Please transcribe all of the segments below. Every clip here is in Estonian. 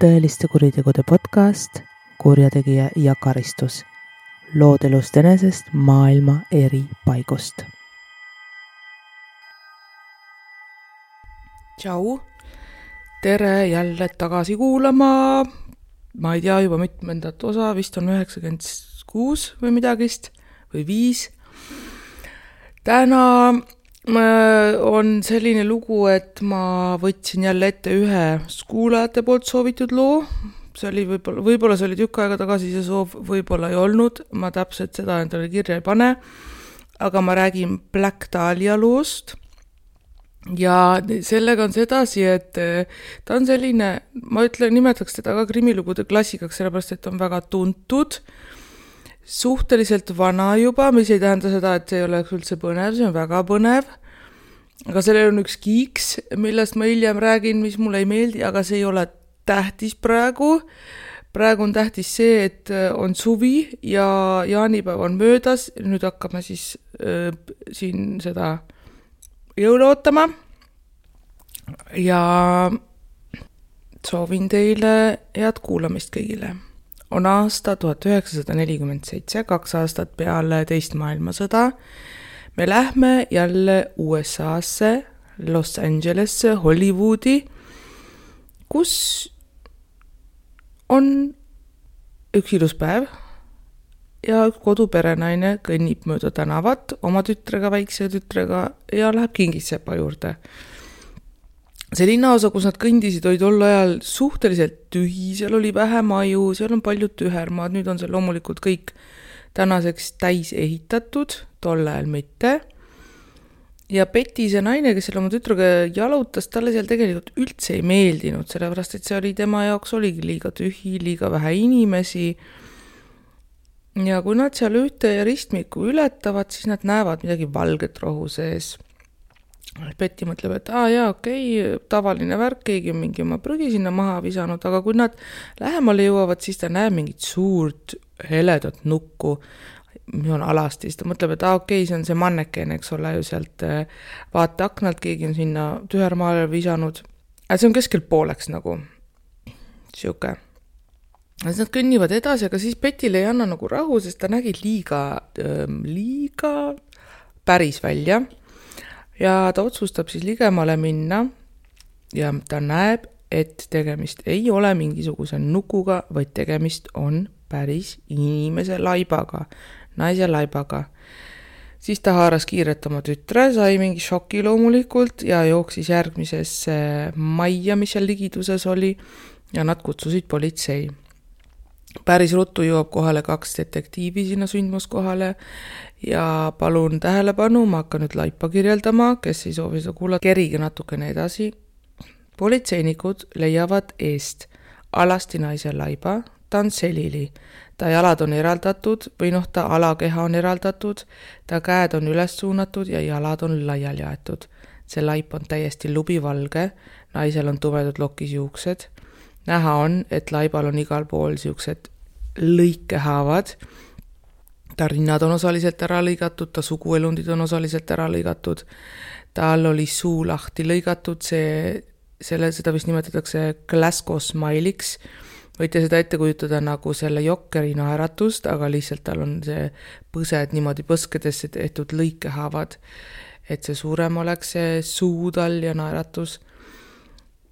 tõeliste kuritegude podcast Kurjategija ja karistus. Lood elust enesest maailma eri paigust. Tšau, tere jälle tagasi kuulama. Ma ei tea juba mitmendat osa, vist on 96 või midagist või 5. Täna on selline lugu, et ma võtsin jälle ette ühe kuulajate poolt soovitud loo. See oli võib-olla see oli tükk aega tagasi see soov, võib-olla ei olnud. Ma täpselt seda endale kirja ei pane. Aga ma räägin Black Dahlia loost. Ja sellega on sedasi, et ta on selline, ma nimetaks teda ka krimilugude klassikaks, sellepärast, et on väga tuntud. Suhteliselt vana juba, mis ei tähenda seda, et see ei oleks üldse põnev, see on väga põnev. Aga sellel on üks kiiks, millest ma hiljem räägin, mis mulle ei meeldi, aga see ei ole tähtis praegu. Praegu on tähtis see, et on suvi ja jaanipäev on möödas. Nüüd hakkame siis siin seda jõule ootama. Ja soovin teile head kuulamist kõigile. On aasta 1947, 2 aastat peale teist maailmasõda. Me lähme jälle USA-sse, Los Angelesse, Hollywoodi, kus on üks ilus päev ja üks koduperenaine kõnnib mööda tänavat oma tütrega, väikse tütrega ja läheb kingissepa juurde. See linnaosa, kus nad kõndisid, oli tol ajal suhteliselt tühi, seal oli vähe maju, seal on palju tühermaad, nüüd on see loomulikult kõik tänaseks täis ehitatud, tol ajal mitte. Ja Betty, see naine, kes seal oma tütrega jalutas, talle seal tegelikult üldse ei meeldinud, sellepärast, et see oli tema jaoks oligi liiga tühi, liiga vähe inimesi. Ja kui nad seal ühte ristmikku ületavad, siis nad näevad midagi valget rohu sees. Betty mõtleb, et tavaline värk, keegi on mingi oma prügi sinna maha visanud, aga kui nad lähemale jõuavad, siis ta näeb mingit suurt heledat nukku, mis on alasti, siis ta mõtleb, et see on see manneken, eks ole, ju sealt vaate aknalt, keegi on sinna tühermaale visanud. See on keskel pooleks nagu siuke. Nad kõnnivad edasi, aga siis Bettyle ei anna nagu rahu, sest ta nägi liiga päris välja. Ja ta otsustab siis ligemale minna ja ta näeb, et tegemist ei ole mingisuguse nukuga, vaid tegemist on päris inimese laibaga, naise laibaga. Siis ta haaras kiiret oma tütre, sai mingi šoki loomulikult ja jooksis järgmisesse majja, mis seal ligiduses oli ja nad kutsusid politsei. Päris ruttu jõuab kohale 2 detektiivi sinna sündmuskohale ja palun tähelepanu, ma hakkan nüüd laipa kirjeldama, kes ei soovi seda kuulata, kerige natukene edasi. Politseinikud leiavad eest alasti naise laiba, ta on selili, ta jalad on eraldatud või ta alakeha on eraldatud, ta käed on üles suunatud ja jalad on laiali jaetud. See laip on täiesti lubivalge, naisel on tumedad lokis juuksed. Näha on, et laibal on igal pool siuksed lõikehaavad. Ta rinnad on osaliselt ära lõigatud, ta suguelundid on osaliselt ära lõigatud. Tal oli suu lahti lõigatud, seda vist nimetatakse Glasgow smile'iks. Võite seda ette kujutada nagu selle jokkeri naeratust, aga lihtsalt tal on see põsed niimoodi põskedesse tehtud lõikehaavad, et see suurem oleks see suu tal ja naeratus.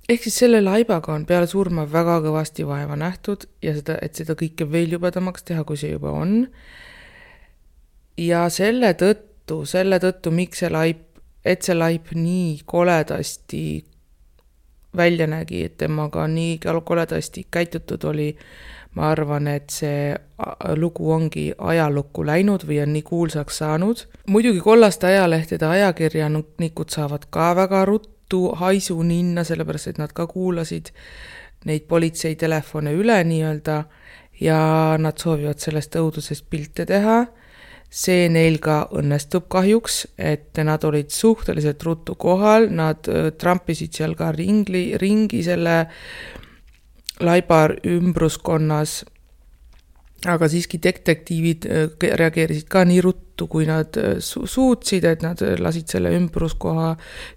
Ehk siis selle laibaga on peale surma väga kõvasti vaeva nähtud ja et seda kõike veel jubedamaks teha, kui see juba on. Ja selle tõttu, miks see laip nii koledasti välja nägi, et temaga nii koledasti käitutud oli, ma arvan, et see lugu ongi ajalukku läinud või on nii kuulsaks saanud. Muidugi kollaste ajalehtede ajakirjanikud saavad ka väga ruttu haisu ninna, sellepärast, et nad ka kuulasid neid politsei telefone üle nii-öelda ja nad soovivad sellest õudusest pilte teha. See neil ka õnnestub kahjuks, et nad olid suhteliselt ruttu kohal, nad trampisid seal ka ringi selle laibar ümbruskonnas Aga siiski detektiivid reageerisid ka nii ruttu, kui nad suutsid, et nad lasid selle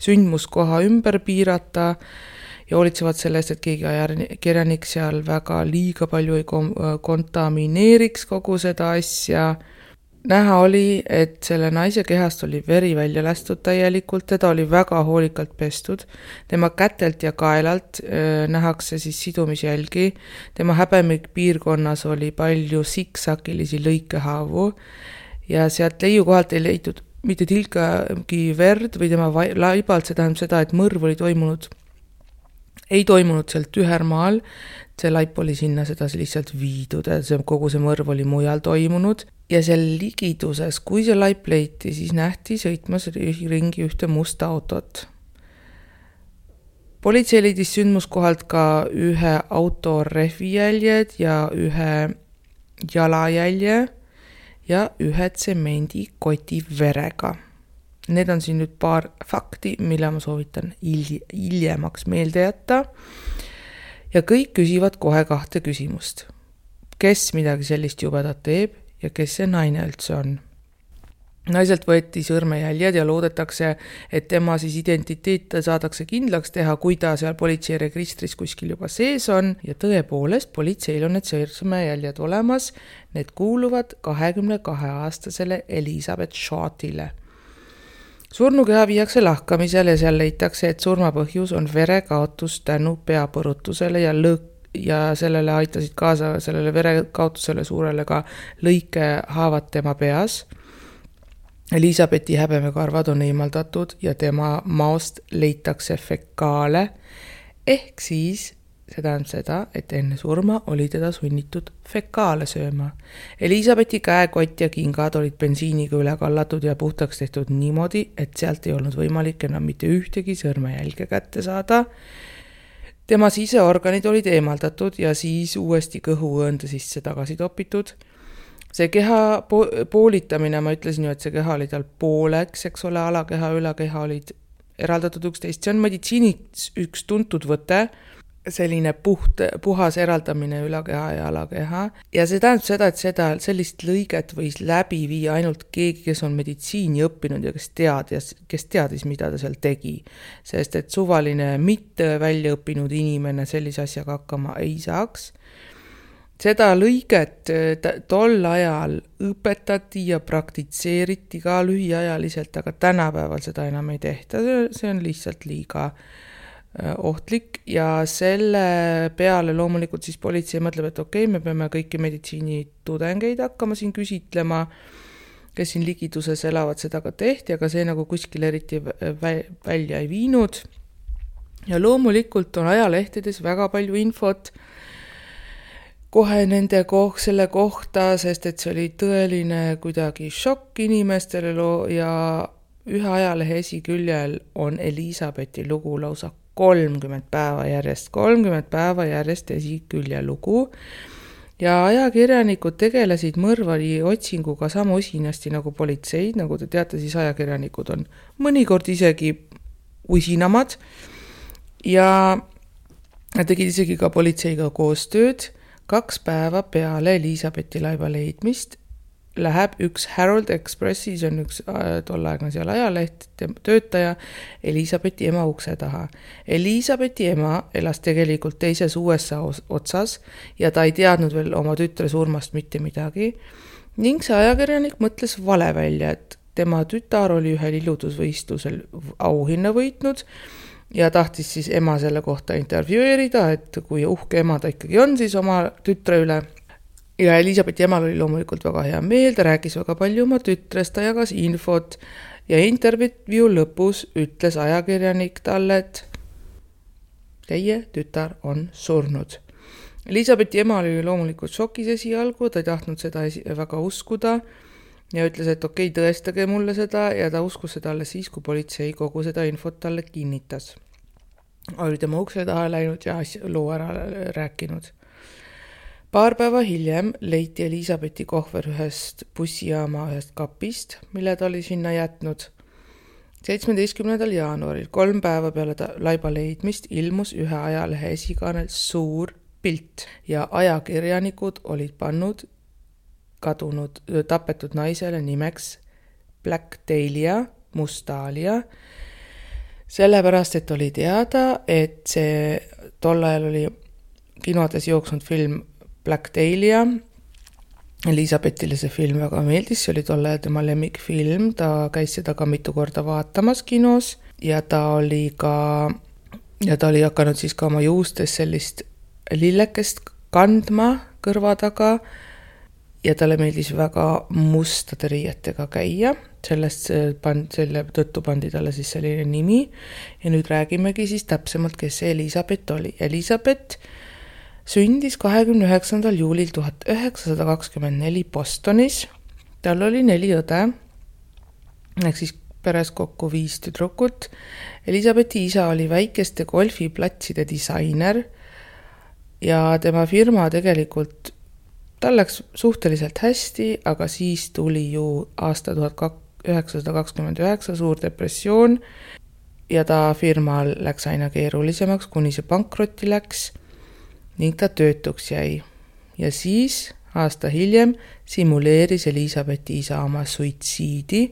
sündmuskoha ümber piirata ja hoolitsevad sellest, et keegi ajakirjanik seal väga liiga palju ei kontamineeriks kogu seda asja. Näha oli, et selle naise kehast oli veri välja lastud täielikult, teda oli väga hoolikalt pestud. Tema kätelt ja kaelalt nähakse siis sidumisjälgi. Tema häbemik piirkonnas oli palju siksakilisi lõikehaavu ja sealt leiukohalt ei leitud mitte tilgagi verd või tema laibalt, see tähendab seda, et mõrv oli ei toimunud sealt ühermaal, see laip oli sinna seda lihtsalt viidud, kogu see mõrv oli mujal toimunud ja seal ligiduses, kui see laip leiti, siis nähti sõitmas ringi ühte musta autot. Politsei leidis sündmuskohalt ka ühe auto rehvijäljed ja ühe jalajälje ja ühe tsemendikoti verega. Need on siin nüüd paar fakti, mille ma soovitan hiljemaks meelde jätta. Ja kõik küsivad kohe 2 küsimust. Kes midagi sellist jubedat teeb ja kes see naine üldse on? Naiselt võeti sõrmejäljed ja loodetakse, et tema siis identiteet saadakse kindlaks teha, kui ta seal politsei registris kuskil juba sees on. Ja tõepoolest, politseil on need sõrmejäljed olemas. Need kuuluvad 22-aastasele Elizabeth Shortile. Surnukeha viiakse lahkamisel ja seal leitakse, et surmapõhjus on verekaotus tänu peapõrutusele ja sellele aitasid kaasa sellele verekaotusele suurele ka lõikehaavad tema peas. Elisabethi häbemekarvad on eemaldatud ja tema maost leitakse fekaale ehk siis see tähendab seda, et enne surma oli teda sunnitud fekaale sööma. Elisabethi käekott ja kingad olid bensiiniga üle kallatud ja puhtaks tehtud niimoodi, et sealt ei olnud võimalik enam mitte ühtegi sõrmejälge kätte saada. Tema siseorganid olid eemaldatud ja siis uuesti kõhuõõnde sisse tagasi topitud. See keha poolitamine, ma ütlesin ju, et see keha oli tal pooleks, eks ole, alakeha, ülakeha olid eraldatud üksteist. See on meditsiiniks üks tuntud võte, selline puhas eraldamine ülakeha ja alakeha. Ja see tähendab seda, et sellist lõiget võis läbi viia ainult keegi, kes on meditsiini õppinud ja kes teadis, mida ta seal tegi. Sest et suvaline mitte välja õppinud inimene sellise asjaga hakkama ei saaks. Seda lõiget tol ajal õpetati ja praktitseeriti ka lühiajaliselt, aga tänapäeval seda enam ei tehta. See on lihtsalt liiga ohtlik ja selle peale loomulikult siis politsei mõtleb, et okei, me peame kõiki meditsiinitudengeid hakkama siin küsitlema, kes siin ligiduses elavad, seda ka tehti, aga see nagu kuskil eriti välja ei viinud. Ja loomulikult on ajalehtedes väga palju infot kohe selle kohta, sest et see oli tõeline kuidagi šokk inimestele ja ühe ajalehe esiküljel on Elisabethi lugu lausa 30 päeva järjest esikülje lugu ja ajakirjanikud tegelesid mõrvari otsinguga sama usinasti nagu politseid, nagu te teate, siis ajakirjanikud on mõnikord isegi usinamad ja tegid isegi ka politseiga koostööd. 2 päeva peale Elisabethi laiba leidmist läheb üks Herald Expressi, see on üks tollaegne seal ajaleht, töötaja Elisabethi ema ukse taha. Elisabethi ema elas tegelikult teises USA otsas ja ta ei teadnud veel oma tütre surmast mitte midagi. Ning see ajakirjanik mõtles vale välja, et tema tütar oli ühel iludusvõistlusel auhinna võitnud ja tahtis siis ema selle kohta intervjueerida, et kui uhke ema ta ikkagi on siis oma tütre üle. Ja Elisabethi emal oli loomulikult väga hea meel, ta rääkis väga palju oma tütrest, ta jagas infot ja intervjuu lõpus ütles ajakirjanik talle, et teie tütar on surnud. Elisabethi ema oli loomulikult šokis esialgu, ta ei tahtnud seda väga uskuda ja ütles, et okei, tõestage mulle seda ja ta uskus seda alles siis, kui politsei kogu seda infot talle kinnitas. Oli tema ukse taha läinud ja loo ära rääkinud. Paar päeva hiljem leiti Elisabethi kohver ühest bussijaama ühest kapist, mille ta oli sinna jätnud. 17. jaanuaril, 3 päeva peale laiba leidmist, ilmus ühe ajalehe esikaanel suur pilt ja ajakirjanikud olid pannud tapetud naisele nimeks Black Dahlia, Must Dahlia. sellepärast, et oli teada, et see tol ajal oli kinodes jooksnud film Black Dahlia. Elisabethile see film väga meeldis, see oli tol ajal tema lemmikfilm, ta käis seda ka mitu korda vaatamas kinos ja ta oli hakanud siis ka oma juustes sellist lillekest kandma kõrva taga ja talle meeldis väga mustade riietega käia. Selle tõttu pandi talle siis selline nimi ja nüüd räägimegi siis täpsemalt, kes see Elisabeth oli. Elisabeth sündis 29. juulil 1924 Bostonis. Tal oli 4 õde, ehk siis peres kokku 5 tüdrukut. Elisabethi isa oli väikeste golfiplatside disainer ja tema firma tegelikult, tal läks suhteliselt hästi, aga siis tuli ju aasta 1929 suur depressioon ja ta firmal läks aina keerulisemaks, kuni see pankrotti läks ning ta töötuks jäi. Ja siis aasta hiljem simuleeris Elisabethi isa oma suitsiidi.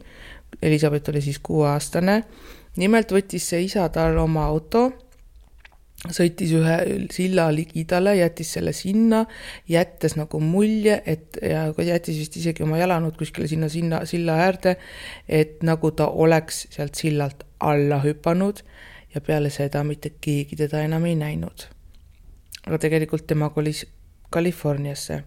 Elisabeth oli siis 6-aastane. Nimelt võttis see isa tal oma auto, sõitis ühe silla ligidale, jättis selle sinna, jättes nagu mulje, ja jättis vist isegi oma jalanud kuskile sinna silla äärde, et nagu ta oleks sealt sillalt alla hüpanud ja peale seda mitte keegi teda enam ei näinud. Aga tegelikult tema kolis Californiasse.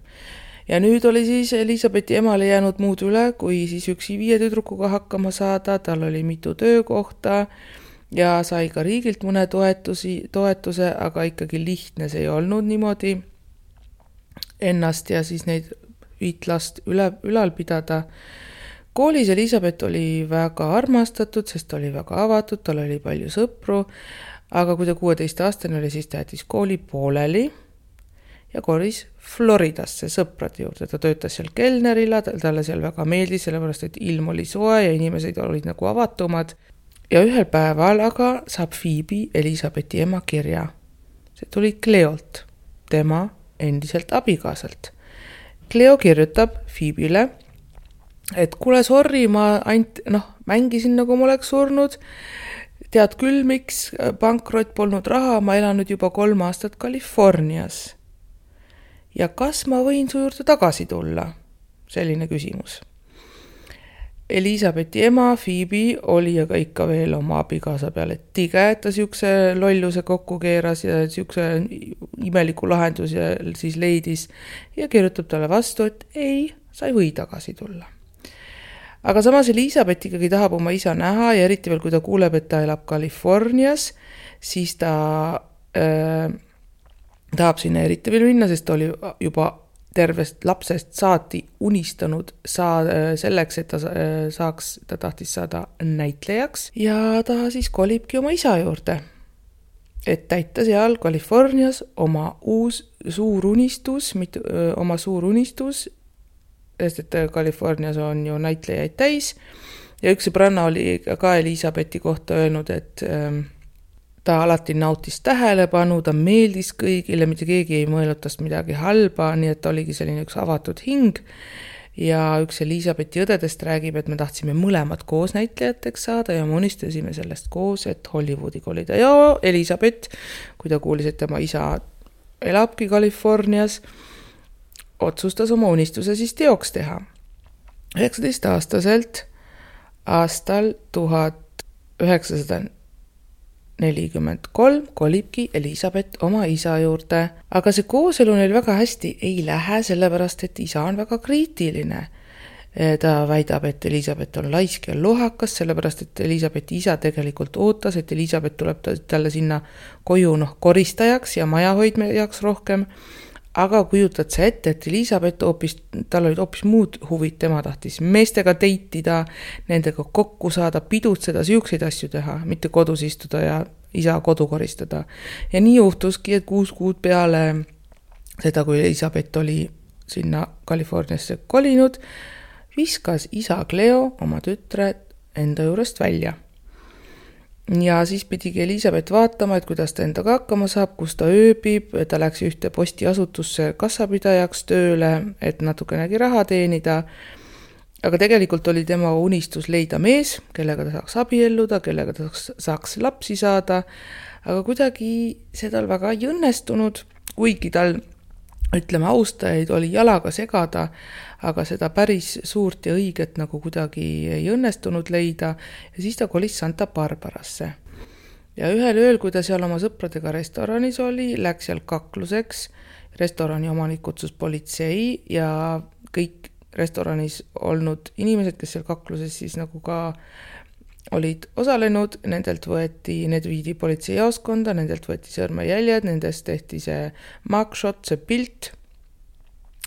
Ja nüüd oli siis Elisabethi emale jäänud muud üle, kui siis üksi 5 tüdrukuga hakkama saada, tal oli mitu töökohta ja sai ka riigilt mõne toetuse, aga ikkagi lihtne see ei olnud niimoodi ennast ja siis neid 5 last ülal pidada. Koolis Elisabeth oli väga armastatud, sest ta oli väga avatud, tal oli palju sõpru, aga kui ta 16-aastane oli, siis ta jättis kooli pooleli ja kolis Floridasse sõprade juurde. Ta töötas seal kelnerila, talle seal väga meeldis, sellepärast et ilm oli soe ja inimesed olid nagu avatumad. Ja ühel päeval aga saab Phoebe Elisabethi ema kirja. See tuli Cleolt, tema endiselt abikaasalt. Cleo kirjutab Phoebele, et kuule, sorry, ma mängisin nagu ma oleks surnud. Tead küll, miks pankrot polnud raha, ma elan nüüd juba 3 aastat Californias. Ja kas ma võin su juurde tagasi tulla? Selline küsimus. Elisabethi ema Phoebe oli aga ikka veel oma abikaasa peale tige, et ta siukse lolluse kokku keeras ja siukse imeliku lahendus ja siis leidis ja kirjutab talle vastu, et ei, sa ei või tagasi tulla. Aga samas Elisabeth ikkagi tahab oma isa näha ja eriti veel, kui ta kuuleb, et ta elab Californias, siis ta tahab sinna eriti veel minna, sest ta oli juba tervest lapsest saati unistanud selleks, et ta tahtis saada näitlejaks ja ta siis kolibki oma isa juurde, et täita seal Californias oma suur unistus, sest et Californias on ju näitlejaid täis ja üks sõbranna oli ka Elisabethi kohta öelnud, et ta alati nautis tähelepanu, ta meeldis kõigile, mitte keegi ei mõelnud tast midagi halba, nii et ta oligi selline üks avatud hing. Ja üks Elisabethi õdedest räägib, et me tahtsime mõlemad koos näitlejateks saada ja me unistasime sellest koos, et Hollywoodi kolida. Ja Elisabeth, kui ta kuulis, et tema isa elabki Californias, otsustas oma unistuse siis teoks teha. 19-aastaselt aastal 1943 kolibki Elisabeth oma isa juurde, aga see kooselu neil väga hästi ei lähe, sellepärast et isa on väga kriitiline. Ta väidab, et Elisabeth on laisk ja lohakas, sellepärast et Elisabethi isa tegelikult ootas, et Elisabeth tuleb talle sinna koju koristajaks ja majahoidjaks rohkem. Aga kujutad sa ette, et Elisabeth tal olid hoopis muud huvid, tema tahtis meestega teitida, nendega kokku saada, pidutseda, siukseid asju teha, mitte kodus istuda ja isa kodu koristada. Ja nii juhtuski, et 6 kuud peale seda, kui Elisabeth oli sinna Californiasse kolinud, viskas isa Cleo oma tütre enda juurest välja. Ja siis pidigi Elisabeth vaatama, et kuidas ta endaga hakkama saab, kus ta ööbib, ta läks ühte postiasutusse kassapidajaks tööle, et natukenegi raha teenida. aga tegelikult oli tema unistus leida mees, kellega ta saaks abielluda, kellega ta saaks lapsi saada, aga kuidagi see tal väga ei õnnestunud, kuigi tal, ütleme, austajaid oli jalaga segada, aga seda päris suurt ja õiget nagu kuidagi ei õnnestunud leida ja siis ta kolis Santa Barbarasse. Ja ühel ööl, kui ta seal oma sõpradega restoranis oli, läks seal kakluseks, restorani omanik kutsus politsei ja kõik restoranis olnud inimesed, kes seal kakluses siis nagu ka olid osalenud, need viidi politseijaoskonda, nendelt võeti sõrmejäljed, nendest tehti see mugshot, see pilt.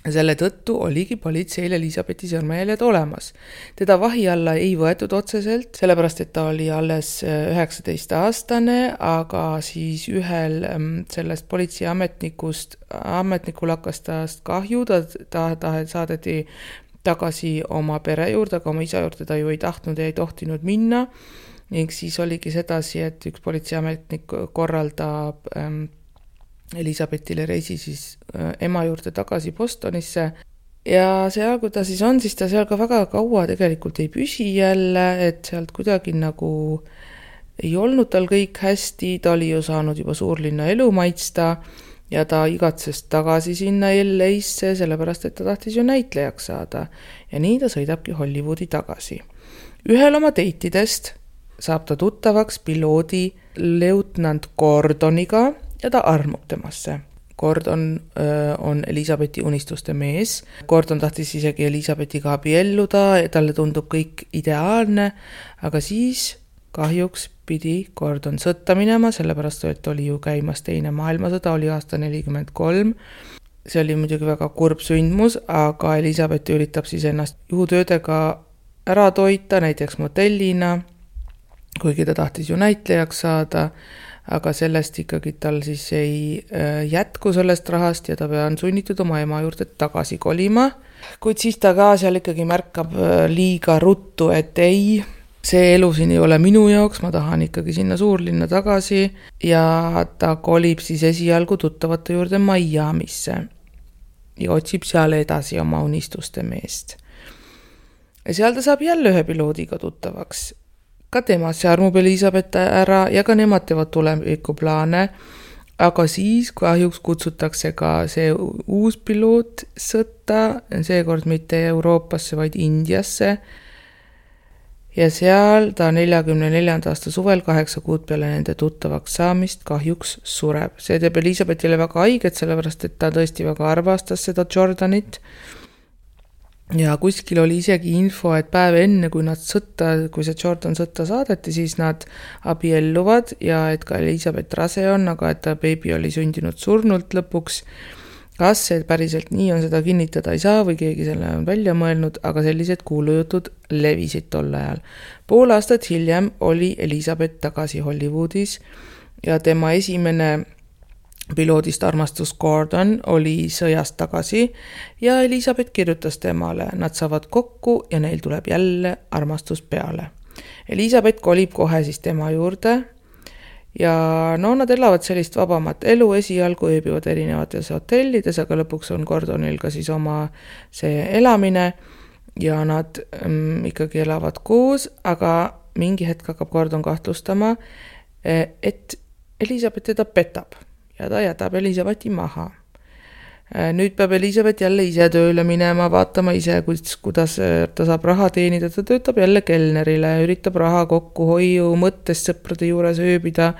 Selle tõttu oligi politseil Elisabethi sõrmejäljed olemas. Teda vahi alla ei võetud otseselt, sellepärast et ta oli alles 19-aastane, aga siis ühel sellest politseiametnikul hakkas tast kahju, ta saadeti tagasi oma pere juurde, aga oma isa juurde ta ju ei tahtnud ja ei tohtinud minna. Ning siis oligi sedasi, et üks politseiametnik korraldab Elisabethile reisi siis ema juurde tagasi Bostonisse ja seal, kui ta siis on, siis ta seal ka väga kaua tegelikult ei püsi jälle, et sealt kuidagi nagu ei olnud tal kõik hästi, ta oli ju saanud juba suurlinna elu maitsta ja ta igatses tagasi sinna LA-sse, sellepärast et ta tahtis ju näitlejaks saada ja nii ta sõidabki Hollywoodi tagasi. Ühel oma teitidest saab ta tuttavaks piloodi leutnant Gordoniga ja ta armub temasse. Gordon on Elisabethi unistuste mees. Gordon tahtis isegi Elisabethiga abielluda ja talle tundub kõik ideaalne, aga siis kahjuks pidi Gordon sõtta minema, sellepärast et oli ju käimas teine maailmasõda, oli aasta 1943. See oli muidugi väga kurb sündmus, aga Elisabeth üritab siis ennast juhutöödega ära toita, näiteks motellina, kuigi ta tahtis ju näitlejaks saada, aga sellest ikkagi tal siis ei jätku sellest rahast ja ta on sunnitud oma ema juurde tagasi kolima. Kuid siis ta ka seal ikkagi märkab liiga ruttu, et ei, see elu siin ei ole minu jaoks, ma tahan ikkagi sinna suurlinna tagasi ja ta kolib siis esialgu tuttavate juurde Miamisse ja otsib seal edasi oma unistuste meest. Ja seal ta saab jälle ühe piloodiga tuttavaks. Ka temasse armub Elisabeth ära ja ka nemad teevad tulevikuplaane, aga siis kahjuks kutsutakse ka see uus piloot sõtta, seekord mitte Euroopasse, vaid Indiasse. Ja seal ta 44. aasta suvel 8 kuud peale nende tuttavaks saamist kahjuks sureb. See teeb Elisabethile väga haiget, sellepärast et ta tõesti väga arvastas seda Jordanit. Ja kuskil oli isegi info, et päev enne, kui see Jordan sõtta saadeti, siis nad abielluvad ja et ka Elisabeth rase on, aga et ta beebi oli sündinud surnult lõpuks. Kas see päriselt nii on, seda kinnitada ei saa või keegi selle on välja mõelnud, aga sellised kuulujutud levisid tol ajal. Pool aastat hiljem oli Elisabeth tagasi Hollywoodis ja tema esimene piloodist armastus Gordon oli sõjast tagasi ja Elisabeth kirjutas temale. Nad saavad kokku ja neil tuleb jälle armastus peale. Elisabeth kolib kohe siis tema juurde ja nad elavad sellist vabamat elu, esialgu ööbivad erinevates hotellides, aga lõpuks on Gordonil ka siis oma see elamine ja nad ikkagi elavad koos, aga mingi hetk hakkab Gordon kahtlustama, et Elisabeth teda petab. Ja ta jätab Elisabethi maha. Nüüd peab Elisabeth jälle ise tööle minema, vaatama ise, kuidas ta saab raha teenida. Ta töötab jälle kelnerile, üritab raha kokkuhoiu mõttes sõprade juures ööbida.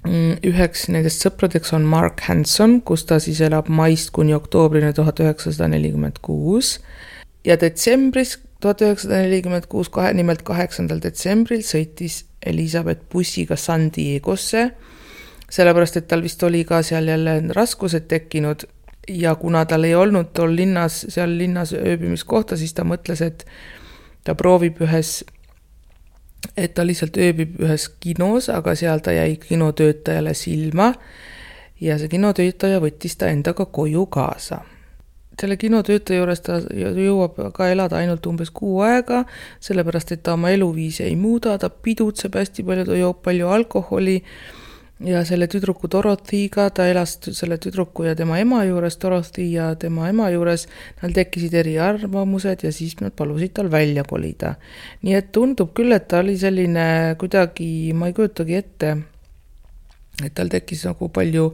Üheks nendest sõpradeks on Mark Hanson, kus ta siis elab maist kuni oktoobrini 1946. Ja detsembris 1946, nimelt 8. detsembril sõitis Elisabeth bussiga San Diegosse, sellepärast, et tal vist oli ka seal jälle raskused tekkinud ja kuna tal ei olnud tol seal linnas ööbimiskohta, siis ta mõtles, et ta proovib et ta lihtsalt ööbib ühes kinos, aga seal ta jäi kinotöötajale silma ja see kinotöötaja võttis ta endaga koju kaasa. Selle kinotöötaja juures ta jõuab ka elada ainult umbes 6 aega, sellepärast, et ta oma eluviisi ei muuda, ta pidutseb hästi palju, ta joob palju alkoholi ja selle tüdruku Dorothy'ga, ta elas selle tüdruku ja tema ema juures, Dorothy ja tema ema juures, neil tekkisid eriarvamused ja siis nad palusid tal välja kolida. Nii et tundub küll, et ta oli selline kuidagi, ma ei kujutagi ette, et tal tekkis nagu palju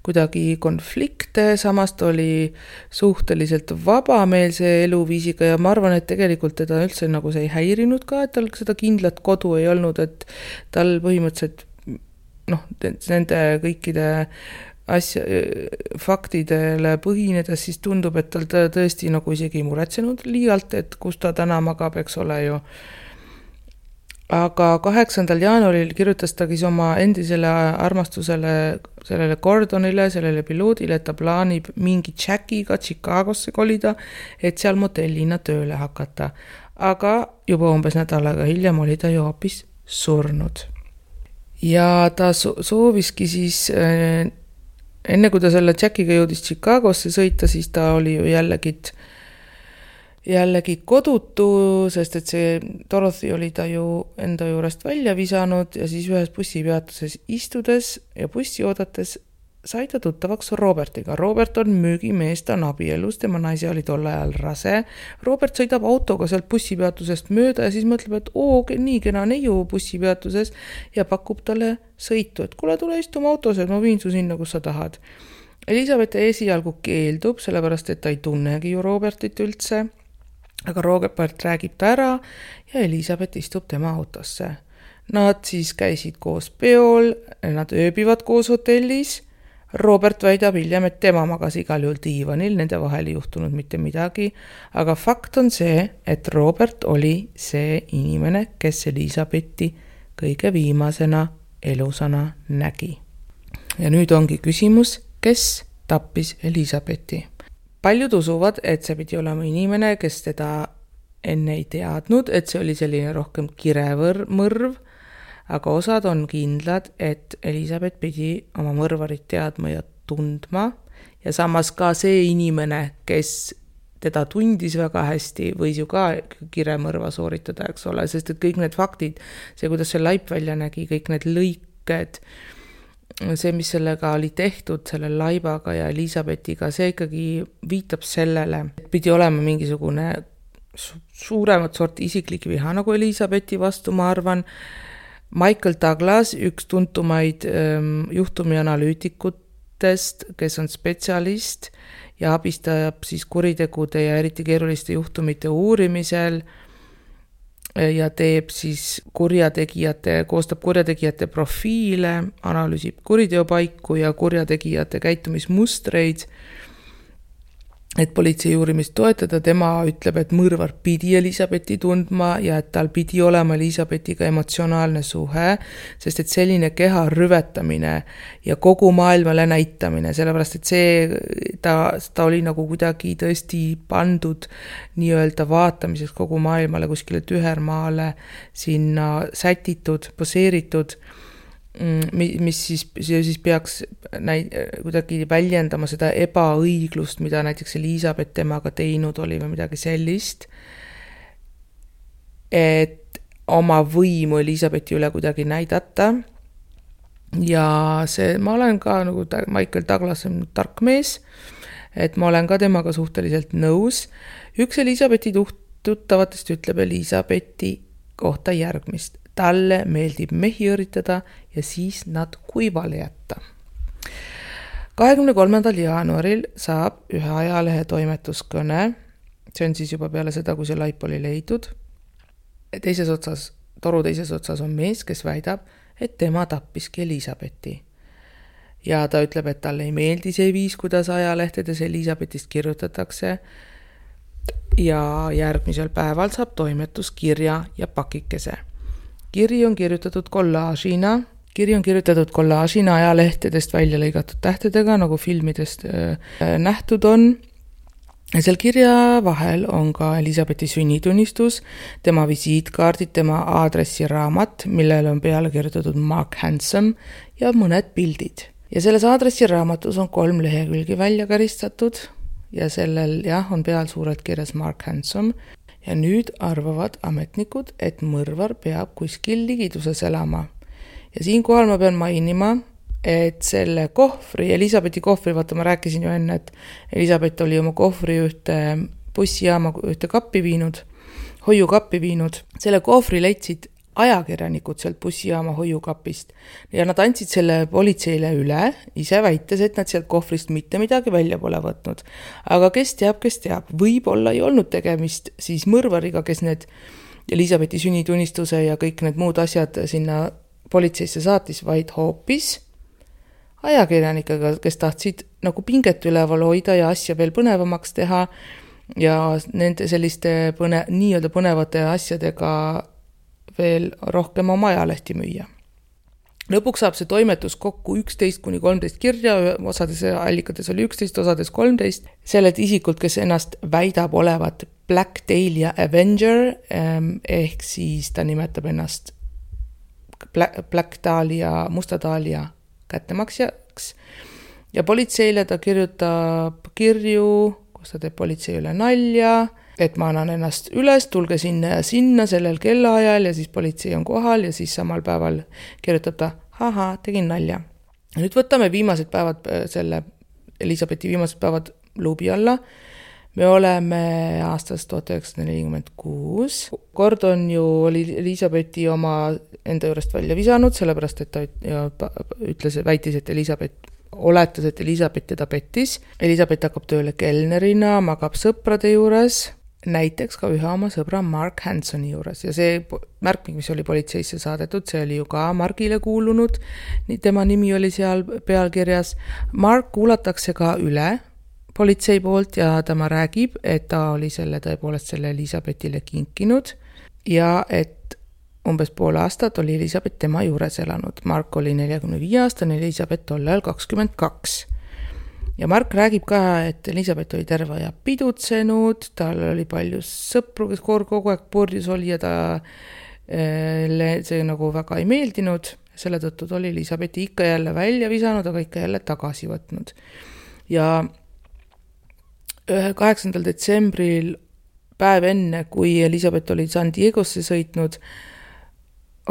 kuidagi konflikte, samas ta oli suhteliselt vabameelse eluviisiga ja ma arvan, et tegelikult teda üldse nagu see ei häirinud ka, et tal seda kindlat kodu ei olnud, et tal põhimõtteliselt nende kõikide faktidele põhinedes siis tundub, et tal tõesti nagu isegi ei muretsenud liialt, et kus ta täna magab, eks ole ju. Aga 8. jaanuaril kirjutas ta siis oma endisele armastusele, sellele Gordonile, sellele piloodile, et ta plaanib mingi Jackiga Chicagosse kolida, et seal motellina tööle hakata. Aga juba umbes nädalaga hiljem oli ta ju hoopis surnud. Ja ta sooviski siis, enne kui ta selle Jackiga jõudis Chicagosse sõita, siis ta oli ju jällegi kodutu, sest et see Dorothy oli ta ju enda juurest välja visanud ja siis ühes bussipeatuses istudes ja bussi oodates sai ta tuttavaks Robertiga. Robert on müügimees, ta on abielus, tema naise oli tol ajal rase. Robert sõidab autoga sealt bussipeatusest mööda ja siis mõtleb, et nii kena neiu bussipeatuses ja pakub talle sõitu, et kuule, tule istuma autos, et ma viin su sinna, kus sa tahad. Elisabeth esialgu keeldub, sellepärast et ta ei tunnegi ju Robertit üldse, aga Robert räägib ta ära ja Elisabeth istub tema autosse. Nad siis käisid koos peol, nad ööbivad koos hotellis. Robert väidab hiljem, et tema magas igal juhul diivanil, nende vahel ei juhtunud mitte midagi, aga fakt on see, et Robert oli see inimene, kes Elisabethi kõige viimasena elusana nägi. Ja nüüd ongi küsimus, kes tappis Elisabethi? Paljud usuvad, et see pidi olema inimene, kes teda enne ei teadnud, et see oli selline rohkem kiremõrv, aga osad on kindlad, et Elisabeth pidi oma mõrvarit teadma ja tundma ja samas ka see inimene, kes teda tundis väga hästi, võis ju ka kiremõrva sooritada, eks ole, sest et kõik need faktid, see, kuidas see laip välja nägi, kõik need lõiked, see, mis sellega oli tehtud, selle laibaga ja Elisabethiga, see ikkagi viitab sellele, et pidi olema mingisugune suuremat sorti isiklik viha nagu Elisabethi vastu, ma arvan. Michael Douglas, üks tuntumaid juhtumi analüütikutest, kes on spetsialist ja abistab siis kuritegude ja eriti keeruliste juhtumite uurimisel ja teeb siis koostab kurjategijate profiile, analüüsib kuriteopaiku ja kurjategijate käitumismustreid, et politsei uurimist toetada. Tema ütleb, et mõrvar pidi Elisabethi tundma ja et tal pidi olema Elisabethiga emotsionaalne suhe, sest et selline keha rüvetamine ja kogu maailmale näitamine, sellepärast et ta oli nagu kuidagi tõesti pandud nii-öelda vaatamiseks kogu maailmale kuskile tühermaale sinna sätitud, poseeritud, mis siis peaks kuidagi väljendama seda ebaõiglust, mida näiteks Elisabeth temaga teinud oli või midagi sellist, et oma võimu Elisabethi üle kuidagi näidata. Ja ma olen ka nagu Michael Douglas on tark mees, et ma olen ka temaga suhteliselt nõus. Üks Elisabethi tuttavatest ütleb Elisabethi kohta järgmist. Talle meeldib mehi õritada ja siis nad kuivale jätta. 23. jaanuaril saab ühe ajalehe toimetuskõne, see on siis juba peale seda, kui see laip oli leidud. Toru teises otsas on mees, kes väidab, et tema tappiski Elisabethi. Ja ta ütleb, et talle ei meeldi see viis, kuidas ajalehtedes Elisabethist kirjutatakse. Ja järgmisel päeval saab toimetus kirja ja pakikese. Kiri on kirjutatud kollaažina ajalehtedest välja lõigatud tähtedega, nagu filmidest nähtud on. Ja seal kirja vahel on ka Elisabethi sünnitunnistus, tema visiitkaardid, tema aadressiraamat, millele on peale kirjutatud Mark Handsome ja mõned pildid. Ja selles aadressiraamatus on 3 lehekülgi välja karistatud ja sellel on peal suurelt kirjas Mark Handsome. Ja nüüd arvavad ametnikud, et mõrvar peab kuskil ligiduses elama. Ja siinkohal ma pean mainima, et selle kohvri, Elisabethi kohvri, vaata ma rääkisin ju enne, et Elisabeth oli oma kohvri ühte bussijaama, ühte kappi viinud, hoiukappi viinud. Selle kohvri leidsid ajakirjanikud sealt bussijaama hoiukapist ja nad andsid selle politseile üle, ise väites, et nad sealt kohvrist mitte midagi välja pole võtnud. Aga kes teab, võib-olla ei olnud tegemist siis mõrvariga, kes need Elisabethi sünnitunnistuse ja kõik need muud asjad sinna politseisse saatis, vaid hoopis ajakirjanikega, kes tahtsid nagu pinget üleval hoida ja asja veel põnevamaks teha ja nende selliste nii-öelda põnevate asjadega veel rohkem oma ajalehti müüa. Lõpuks saab see toimetus kokku 11-13 kirja, osades allikates oli 11, osades 13, sellelt isikult, kes ennast väidab olevat Black Dahlia Avenger, ehk siis ta nimetab ennast Black Dahlia, Musta Dahlia kättemaksjaks ja politseile ta kirjutab kirju, kus ta teeb politsei üle nalja, et ma annan ennast üles, tulge sinna ja sinna sellel kellaajal ja siis politsei on kohal ja siis samal päeval kirjutab ta, tegin nalja. Nüüd võtame viimased päevad, selle Elisabethi viimased päevad luubi alla. Me oleme aastast 1946. Kord on ju oli Elisabethi oma enda juurest välja visanud, sellepärast, et ta väitis, et oletas, et Elisabeth teda pettis. Elisabeth hakkab tööle kelnerina, magab sõprade juures, näiteks ka ühe oma sõbra Mark Hansoni juures. Ja see märkmik, mis oli politseisse saadetud, see oli ju ka Margile kuulunud. Tema nimi oli seal pealkirjas. Mark kuulatakse ka üle politsei poolt ja tema räägib, et ta oli tõepoolest selle Elisabethile kinkinud ja et umbes pool aastat oli Elisabeth tema juures elanud. Mark oli 45 aastane, Elisabeth tollal 22. Ja Mark räägib ka, et Elisabeth oli terve aja pidutsenud, tal oli palju sõpru, kes kogu aeg purdjus oli ja see nagu väga ei meeldinud. Selle tõttu oli Elisabethi ikka jälle välja visanud, aga ikka jälle tagasi võtnud. Ja 8. detsembril, päev enne, kui Elisabeth oli San Diegosse sõitnud,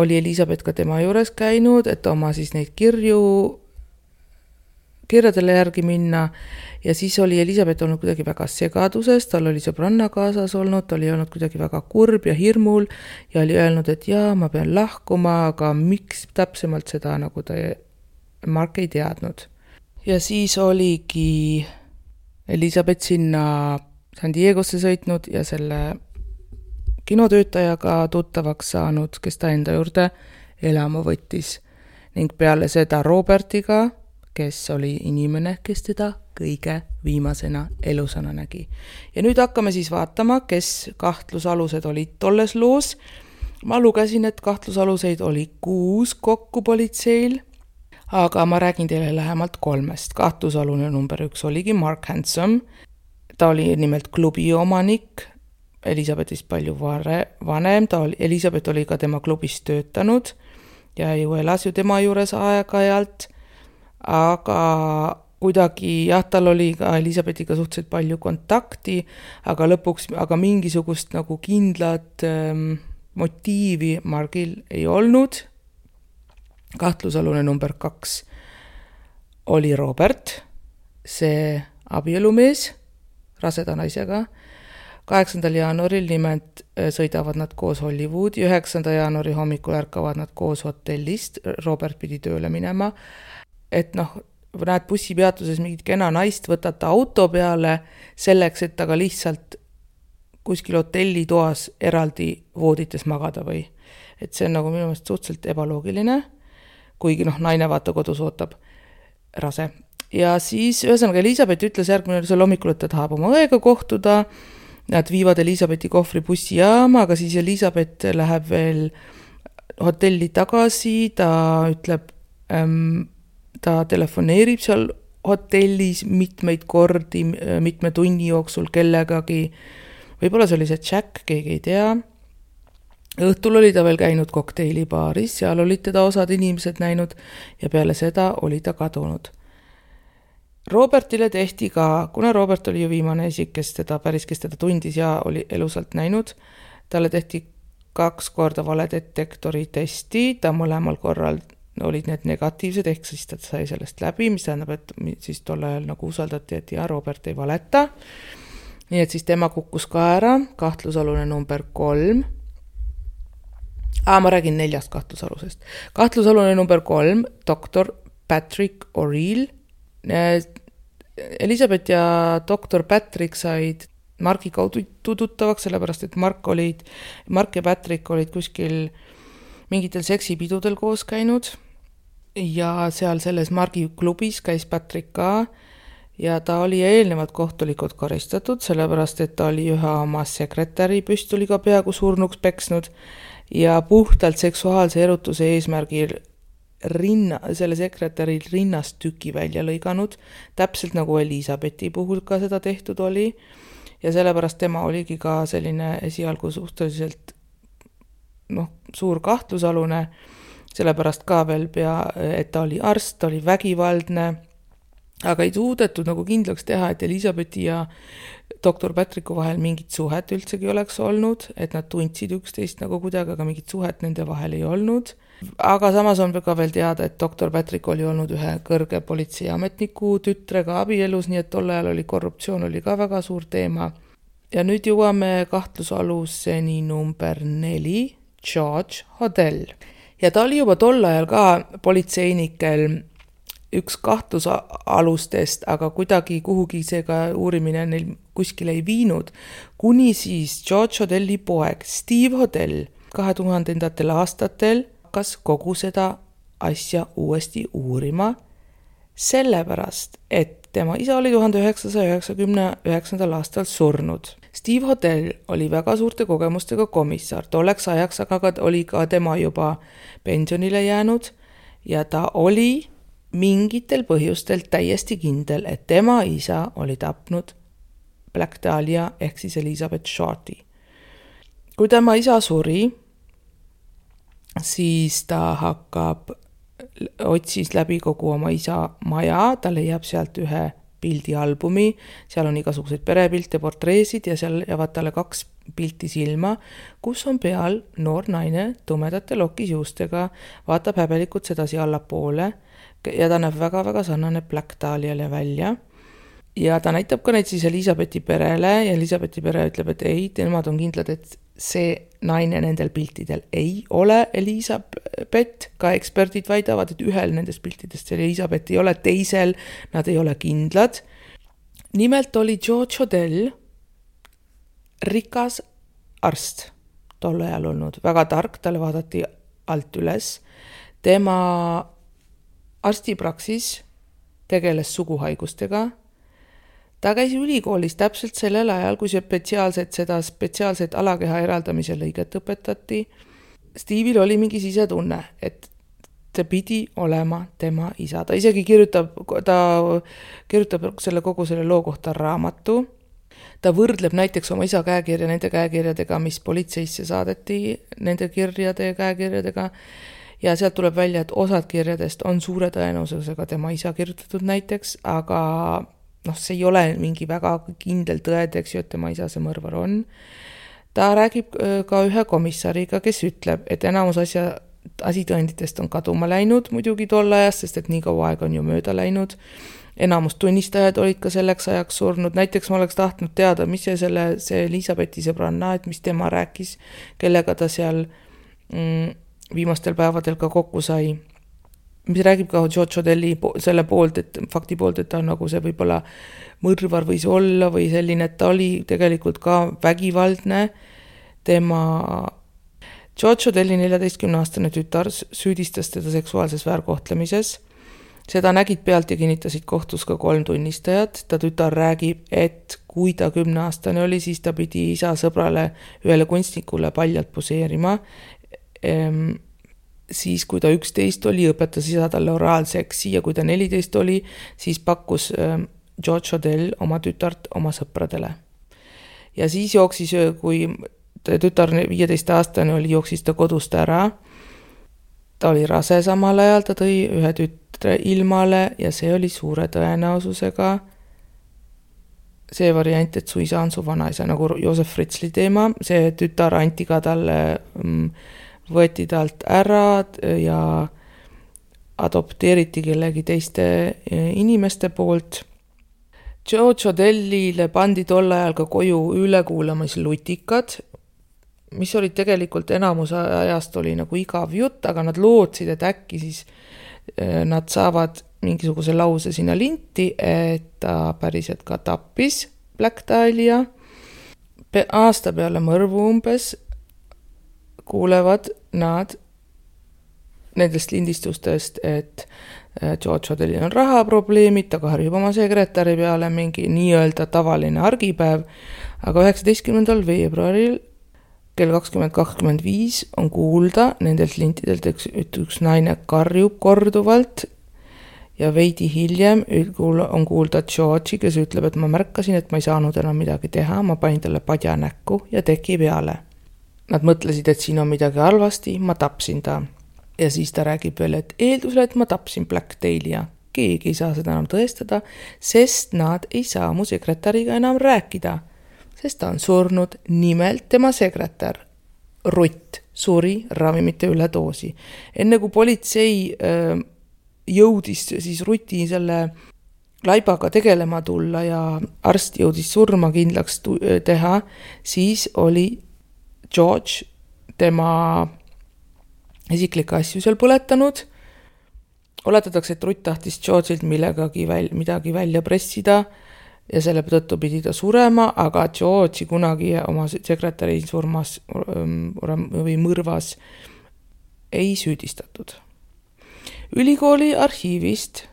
oli Elisabeth ka tema juures käinud, et oma siis neid kirjadele järgi minna ja siis oli Elisabeth olnud kuidagi väga segaduses, tal oli sõbranna kaasas olnud, ta oli olnud kuidagi väga kurb ja hirmul ja oli öelnud, et jaa, ma pean lahkuma, aga miks täpsemalt seda nagu Mark ei teadnud. Ja siis oligi Elisabeth sinna San Diegosse sõitnud ja selle kinotöötajaga tuttavaks saanud, kes ta enda juurde elama võttis. Ning peale seda Robertiga, kes oli inimene, kes teda kõige viimasena elusana nägi. Ja nüüd hakkame siis vaatama, kes kahtlusalused olid tolles loos. Ma lugesin, et kahtlusaluseid oli 6 kokku politseil, aga ma räägin teile lähemalt 3. Kahtlusalune number 1 oligi Mark Hanson. Ta oli nimelt klubi omanik, Elisabethist palju vanem. Elisabeth oli ka tema klubis töötanud ja ju elas ju tema juures aeg-ajalt, aga kuidagi tal oli ka Elisabethiga suhteliselt palju kontakti, aga mingisugust nagu kindlat motiivi Margil ei olnud. Kahtlusalune number 2 oli Robert, see abielumees raseda naisega. 8. jaanuaril nimelt sõidavad nad koos Hollywoodi, 9. jaanuari hommikul ärkavad nad koos hotellist, Robert pidi tööle minema, et näed bussipeatuses mingit kena naist, võtad ta auto peale selleks, et taga lihtsalt kuskil hotellitoas eraldi voodites magada või. Et see on nagu minu meelest suhteliselt ebaloogiline, kuigi naine vaata kodus ootab rase. Ja siis ühesõnaga Elisabeth ütles järgmine hommikul, et ta tahab oma õega kohtuda. Nad viivad Elisabethi kohvri bussijaama, aga siis Elisabeth läheb veel hotelli tagasi, ta ütleb, ta telefoneerib seal hotellis mitmeid kordi, mitme tunni jooksul kellegagi. Võib-olla see oli see Jack, keegi ei tea. Õhtul oli ta veel käinud kokteilibaaris, seal olid teda osad inimesed näinud ja peale seda oli ta kadunud. Robertile tehti ka, kuna Robert oli ju viimane isik, kes teda tundis ja oli elusalt näinud, talle tehti 2 korda valedetektori testi, ta mõlemal korral olid need negatiivsed, ehk siis ta sai sellest läbi, mis tähendab, et siis tol ajal nagu usaldati, et ja Robert ei valeta. Nii et siis tema kukkus ka ära, kahtlusalune number 3. Ma räägin 4 kahtlusalusest. Kahtlusalune number 3, doktor Patrick O'Reilly. Elizabeth ja doktor Patrick said Marki kaudu tuttavaks, sellepärast et Mark ja Patrick olid kuskil mingitel seksipidudel koos käinud ja seal selles Margi klubis käis Patrick ka ja ta oli eelnevalt kohtulikult karistatud, sellepärast et ta oli ühe oma sekretäri püstoliga peaaegu surnuks peksnud ja puhtalt seksuaalse erutuse eesmärgil selle sekretäri rinnast tüki välja lõiganud, täpselt nagu Elizabethi puhul ka seda tehtud oli. Ja sellepärast tema oligi ka selline esialgu suhteliselt suur kahtlusalune, sellepärast ka veel et ta oli arst, ta oli vägivaldne, aga ei suudetud nagu kindlaks teha, et Elizabethi ja doktor Patricku vahel mingit suhet üldsegi oleks olnud, et nad tundsid üksteist nagu kuidagi, aga mingit suhet nende vahel ei olnud. Aga samas on ka veel teada, et doktor Patrick oli olnud ühe kõrge politseiametniku tütrega abielus, nii et tol ajal oli korruptsioon oli ka väga suur teema. Ja nüüd jõuame kahtlusaluseni number 4, George Hodel. Ja ta oli juba tol ajal ka politseinikel üks kahtlusalustest, aga kuidagi kuhugi seega uurimine neil kuskil ei viinud, kuni siis George Hodelli poeg Steve Hodel 2000. aastatel hakkas kogu seda asja uuesti uurima, sellepärast, et tema isa oli 1999. aastal surnud. Steve Hodel oli väga suurte kogemustega komissar, tolleks ajaks aga oli ka tema juba pensionile jäänud ja ta oli mingitel põhjustel täiesti kindel, et tema isa oli tapnud Black Dahlia ehk siis Elizabeth Shorty. Kui tema isa suri, siis ta otsis läbi kogu oma isa maja, ta leiab sealt ühe pildialbumi, seal on igasuguseid perepilte, portreesid ja seal jäävad talle 2 pilti silma, kus on peal noor naine tumedate lokisjuustega, vaatab häbelikult sedasi allapoole ja ta näeb väga-väga sarnane Black Dahliale välja. Ja ta näitab ka neid siis Elizabethi perele ja Elizabethi pere ütleb, et ei, nemad on kindlad, et see naine nendel piltidel ei ole Elizabeth, ka eksperdid väidavad, et ühel nendest piltidest Elizabeth ei ole, teisel nad ei ole kindlad. Nimelt oli George Hodel rikas arst tol ajal olnud, väga tark, talle vaadati alt üles. Tema arstipraksis tegeles suguhaigustega. Ta käis ülikoolis täpselt sellel ajal, kui spetsiaalset alakeha eraldamise lõiget õpetati. Steve'il oli mingi sisetunne, et ta pidi olema tema isa. Ta isegi kirjutab kogu selle loo kohta raamatu. Ta võrdleb näiteks oma isa käekirja nende käekirjadega, mis politseisse saadeti, nende kirjade ja käekirjadega. Ja sealt tuleb välja, et osad kirjadest on suure tõenäosusega tema isa kirjutatud näiteks, aga see ei ole mingi väga kindel tõed, eks ju, et tema isa see mõrvar on. Ta räägib ka ühe komissariga, kes ütleb, et enamus asitõenditest on kaduma läinud muidugi tol ajast, sest et nii kaua aega on ju mööda läinud. Enamus tunnistajad olid ka selleks ajaks surnud. Näiteks ma oleks tahtnud teada, mis see Elizabethi sõbranna, et mis tema rääkis, kellega ta seal viimastel päevadel ka kokku sai. Mis räägib ka George Hodelli selle poolt, et fakti poolt, et ta nagu see võib-olla mõrvar võis olla või selline, et ta oli tegelikult ka vägivaldne. George Hodelli 14-aastane tütar süüdistas teda seksuaalses väärkohtlemises. Seda nägid pealt ja kinnitasid kohtus ka 3 tunnistajat. Ta tütar räägib, et kui ta 10-aastane oli, siis ta pidi isa sõbrale ühele kunstnikule paljalt poseerima. Siis kui ta 11 oli, õpetas isa talle oraalseksi ja kui ta 14 oli, siis pakkus George Hodel oma tütart oma sõpradele. Ja siis jooksis, kui tütar 15-aastane oli, jooksis ta kodust ära. Ta oli rase samal ajal, ta tõi ühe tütre ilmale ja see oli suure tõenäosusega see variant, et su isa on su vanaisa, nagu Joosef Fritzli teema. See tütar anti ka talle võeti talt ära ja adopteeriti kellegi teiste inimeste poolt. George Odellile pandi tol ajal ka koju ülekuulamislutikad, mis olid tegelikult enamus ajast oli nagu igav jutt, aga nad lootsid, et äkki siis nad saavad mingisuguse lause sinna linti, et ta päriselt ka tappis Black Dahlia. Aasta peale mõrvu umbes kuulevad nad nendest lindistustest, et George Odellil on rahaprobleemid, ta karjub oma sekretäri peale mingi nii-öelda tavaline argipäev, aga 19. veebruaril kell 20:25 on kuulda nendelt lintidelt, et üks naine karjub korduvalt ja veidi hiljem on kuulda George'i, kes ütleb, et ma märkasin, et ma ei saanud enam midagi teha, ma panin talle padja näkku ja teki peale. Nad mõtlesid, et siin on midagi halvasti, ma tapsin ta. Ja siis ta räägib veel, et eeldusel, et ma tapsin Black Dahlia. Keegi ei saa seda enam tõestada, sest nad ei saa mu sekretäriga enam rääkida. Sest ta on surnud, nimelt tema sekretär, Rutt, suri ravimite üledoosi. Enne kui politsei jõudis siis Ruti selle laibaga tegelema tulla ja arst jõudis surma kindlaks teha, siis oli George tema isiklikke asju seal põletanud. Oletatakse, et Rutt tahtis George'ilt midagi välja pressida ja selle tõttu pidi ta surema, aga George'i kunagi oma sekretäri surmas või mõrvas ei süüdistatud. Ülikooli arhiivist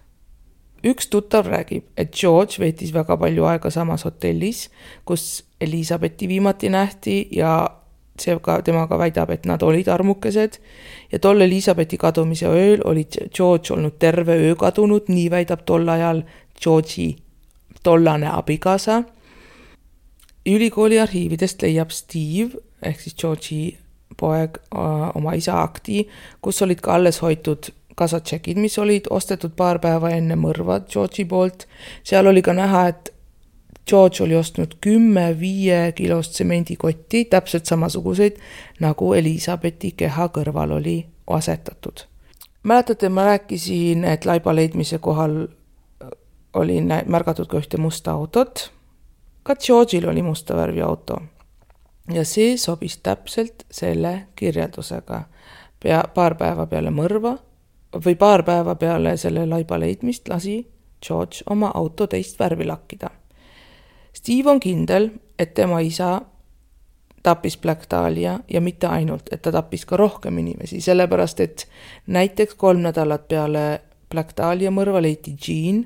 üks tuttav räägib, et George veetis väga palju aega samas hotellis, kus Elisabethi viimati nähti ja temaga väidab, et nad olid armukesed ja tol Elisabethi kadumise ööl oli George olnud terve öö kadunud, nii väidab tol ajal George'i tollane abikaasa. Ülikooli arhiividest leiab Steve, ehk siis George'i poeg, oma isa akti, kus olid ka alles hoitud kasatšekid, mis olid ostetud paar päeva enne mõrva George'i poolt. Seal oli ka näha, et George oli ostnud 10 5-kilost tsemendikotti, täpselt samasuguseid, nagu Elisabethi keha kõrval oli asetatud. Mäletate, ma rääkisin, et laiba leidmise kohal oli märgatud ka ühte musta autot. Ka George'il oli musta värvi auto. Ja see sobis täpselt selle kirjeldusega. Paar päeva peale mõrva või paar päeva peale selle laiba leidmist lasi George oma auto teist värvi lakkida. Steve on kindel, et tema isa tappis Black Dahlia ja mitte ainult, et ta tappis ka rohkem inimesi, sellepärast et näiteks 3 nädalat peale Black Dahlia mõrva leiti Jean.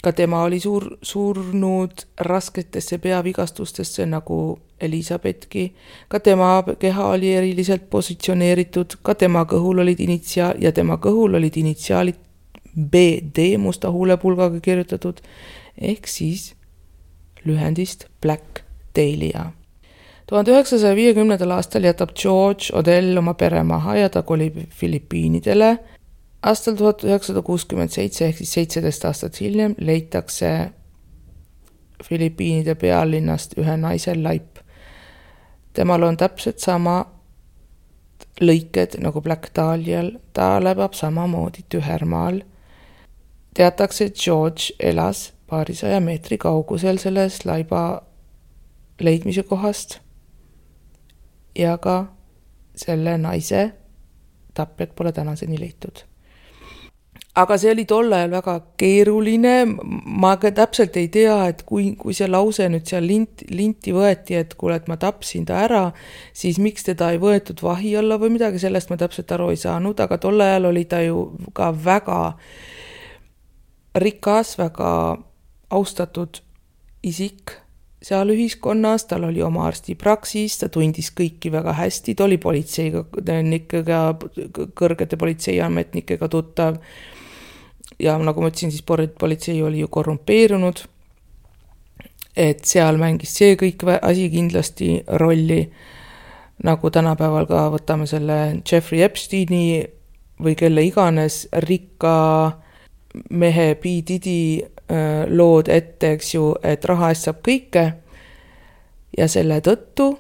Ka tema oli surnud rasketesse peavigastustesse nagu Elisabethki. Ka tema keha oli eriliselt positsioneeritud, ka tema kõhul olid initsiaalid BD musta huulepulgaga kirjutatud, ehk siis lühendist Black Dahlia. 1950. aastal jätab George Odell oma pere maha ja ta kolib Filipiinidele. Aastal 1967 ehk siis 17 aastat hiljem leitakse Filipiinide pealinnast ühe naise laip. Temal on täpselt sama lõiked nagu Black Dahlial, ta läbab samamoodi tühermaal. Teatakse, et George elas paarisaja meetri kaugusel selles laiba leidmise kohast ja ka selle naise tapjad pole tänaseni leitud. Aga see oli tol ajal väga keeruline, ma ka täpselt ei tea, et kui see lause nüüd seal linti võeti, et kuule, et ma tapsin ta ära, siis miks teda ei võetud vahi alla või midagi, sellest ma täpselt aru ei saanud, aga tol ajal oli ta ju ka väga rikas, väga austatud isik seal ühiskonnas, tal oli oma arstipraksis, ta tundis kõiki väga hästi, ta oli politseinikega, kõrgete politseiametnikega tuttav ja nagu ma ütlesin, siis politsei oli ju korrumpeerunud, et seal mängis see kõik asi kindlasti rolli, nagu tänapäeval ka võtame selle Jeffrey Epsteini või kelle iganes rikka mehe P. Diddy lood ette, eks ju, et raha eest saab kõike ja selle tõttu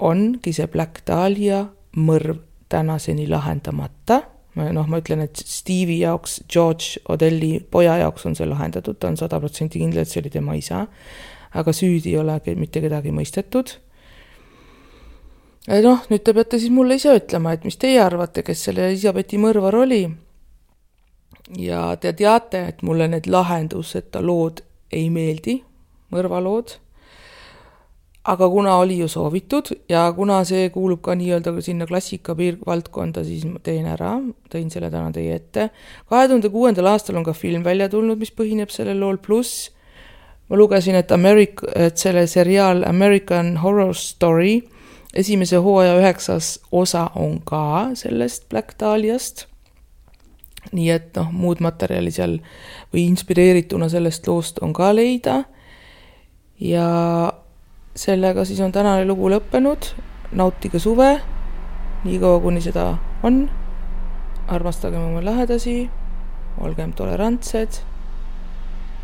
ongi see Black Dahlia mõrv tänaseni lahendamata. ma ütlen, et Stevie jaoks, George Odelli poja jaoks on see lahendatud, ta on 100% kindel, et see oli tema isa, aga süüdi ei ole mitte kedagi mõistetud. Nüüd te peate siis mulle ise ütlema, et mis teie arvate, kes selle Elisabethi mõrvar oli. Ja te teate, et mulle need lahenduseta lood ei meeldi, mõrvalood. Aga kuna oli ju soovitud ja kuna see kuulub ka nii-öelda sinna klassika valdkonda, siis ma tõin selle täna teie ette. 2006. aastal on ka film välja tulnud, mis põhineb selle lool, pluss ma lugesin, et selle seriaal American Horror Story esimese hooaja 9. osa on ka sellest Black Dahliast. Nii et muud materjali seal või inspireerituna sellest loost on ka leida. Ja sellega siis on tänane lugu lõppenud. Nautige suve, nii kaua kuni seda on. Armastagem oma lähedasi, olgem tolerantsed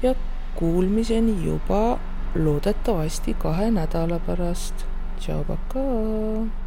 ja kuulmiseni juba loodetavasti 2 nädala pärast. Tšau, pakaa!